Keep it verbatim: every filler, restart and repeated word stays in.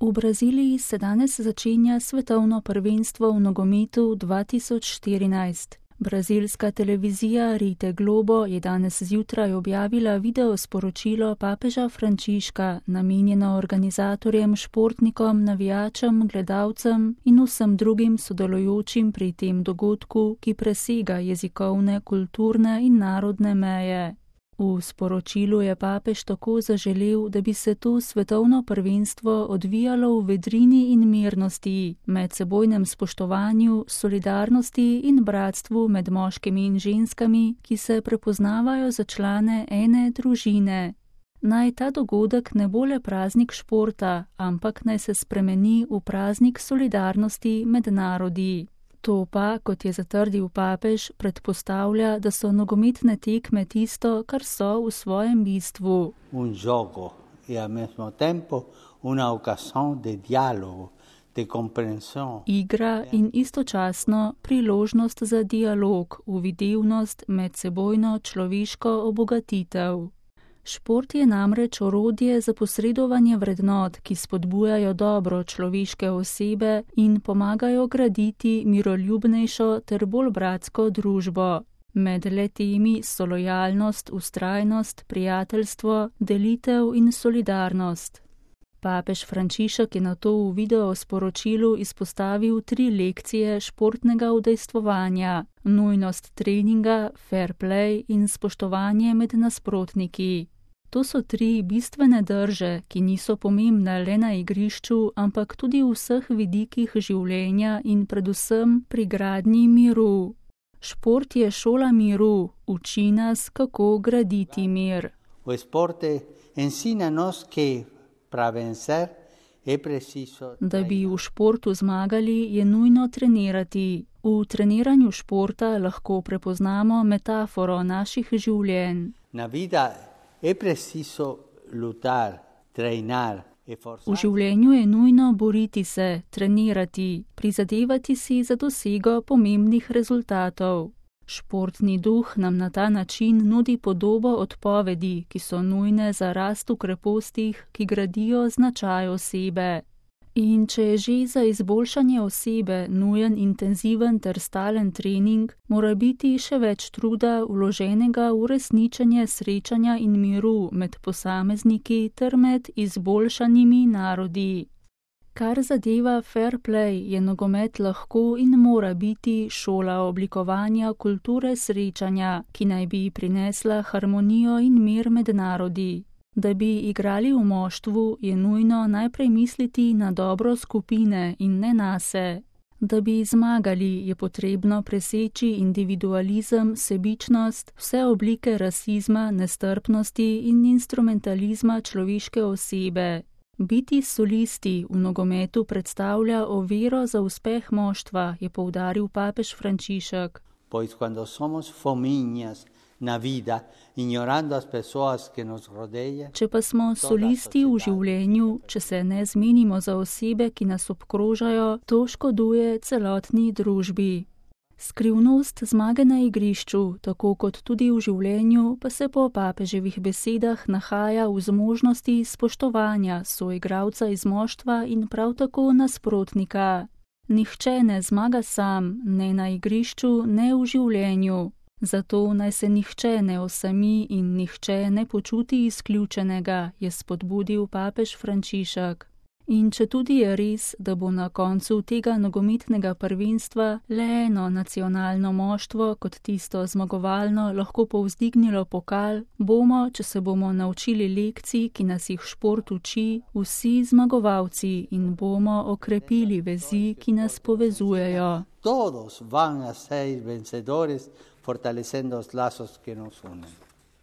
V Braziliji se danes začenja svetovno prvenstvo v nogometu dva tisoč štirinajst. Brazilska televizija Rede Globo je danes zjutraj objavila video sporočilo papeža Frančiška, namenjeno organizatorjem, športnikom, navijačem, gledalcem in vsem drugim sodelujočim pri tem dogodku, ki presega jezikovne, kulturne in narodne meje. V sporočilu je papež tako zaželel, da bi se to svetovno prvenstvo odvijalo v vedrini in mirnosti, medsebojnem spoštovanju, solidarnosti in bratstvu med moškimi in ženskami, ki se prepoznavajo za člane ene družine. Naj ta dogodek ne bo le praznik športa, ampak naj se spremeni v praznik solidarnosti med narodi. To pa, kot je zatrdil papež, predpostavlja, da so nogometne tekme tisto, kar so v svojem bistvu. Un gioco e al mesmo tempo una ocasión de dialogo, de comprensión. Igra in istočasno priložnost za dialog, uvidevnost, medsebojno človeško obogatitev. Šport je namreč orodje za posredovanje vrednot, ki spodbujajo dobro človeške osebe in pomagajo graditi miroljubnejšo ter bolj bratsko družbo. Med le-temi so lojalnost, vztrajnost, prijateljstvo, delitev in solidarnost. Papež Frančišek je nato v video sporočilu izpostavil tri lekcije športnega udejstvovanja: nujnost treninga, fair play in spoštovanje med nasprotniki. To so tri bistvene drže, ki niso pomembne le na igrišču, ampak tudi v vseh vidikih življenja in predvsem pri gradnji miru. Šport je šola miru, uči nas, kako graditi mir. O sporte ensínanos que para vencer es preciso. Da bi v športu zmagali, je nujno trenirati. V treniranju športa lahko prepoznamo metaforo naših življenj. Na vida es preciso lutar, treinar. V življenju je nujno boriti se, trenirati, prizadevati si za dosego pomembnih rezultatov. Športni duh nam na ta način nudi podobo odpovedi, ki so nujne za rast v krepostih, ki gradijo značaj osebe. In če je že za izboljšanje osebe nujen intenziven ter stalen trening, mora biti še več truda vloženega v resničenje srečanja in miru med posamezniki ter med izboljšanimi narodi. Kar zadeva fair play, je nogomet lahko in mora biti šola oblikovanja kulture srečanja, ki naj bi prinesla harmonijo in mir med narodi. Da bi igrali v moštvu, je nujno najprej misliti na dobro skupine in ne nase. Da bi zmagali, je potrebno preseči individualizem, sebičnost, vse oblike rasizma, nestrpnosti in instrumentalizma človeške osebe. Biti solisti v nogometu predstavlja oviro za uspeh moštva, je poudaril papež Frančišek. Pois cuando somos fominhas na vida, ignorando as pessoas que nos rodeia. Če pa smo solisti v življenju, če se ne zmenimo za osebe, ki nas obkrožajo, to škoduje celotni družbi. Skrivnost zmage na igrišču, tako kot tudi v življenju, pa se po papeževih besedah nahaja v zmožnosti spoštovanja soigralca iz moštva in prav tako nasprotnika. Nihče ne zmaga sam, ne na igrišču, ne v življenju. Zato naj se nihče ne osami in nihče ne počuti izključenega, je spodbudil papež Frančišek. In če tudi je res, da bo na koncu tega nogometnega prvenstva le eno nacionalno moštvo kot tisto zmagovalno lahko povzdignilo pokal, bomo, če se bomo naučili lekcij, ki nas jih šport uči, vsi zmagovalci in bomo okrepili vezi, ki nas povezujejo. Todos van a ser vencedores, fortaleciendo los lazos que nos unen.